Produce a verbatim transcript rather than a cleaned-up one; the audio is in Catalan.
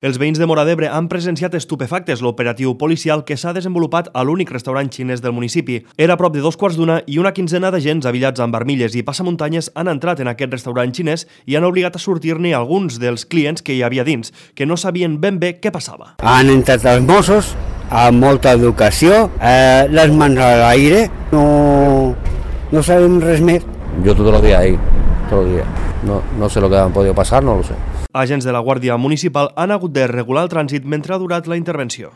Els veïns de Móra d'Ebre han presenciat estupefactes l'operatiu policial que s'ha desenvolupat a l'únic restaurant xinès del municipi. Era a prop de dos quarts d'una i una quinzena d'agents avillats amb armilles i passamuntanyes han entrat en aquest restaurant xinès i han obligat a sortir-ne alguns dels clients que hi havia dins, que no sabien ben bé què passava. Han entrat els Mossos amb molta educació, eh, les mans a l'aire, no, no sabem res més. Yo todos los días ahí, todos los días. No, no sé lo que han podido pasar, no lo sé. Agents de la Guàrdia Municipal han hagut de regular el trànsit mentre ha durat la intervenció.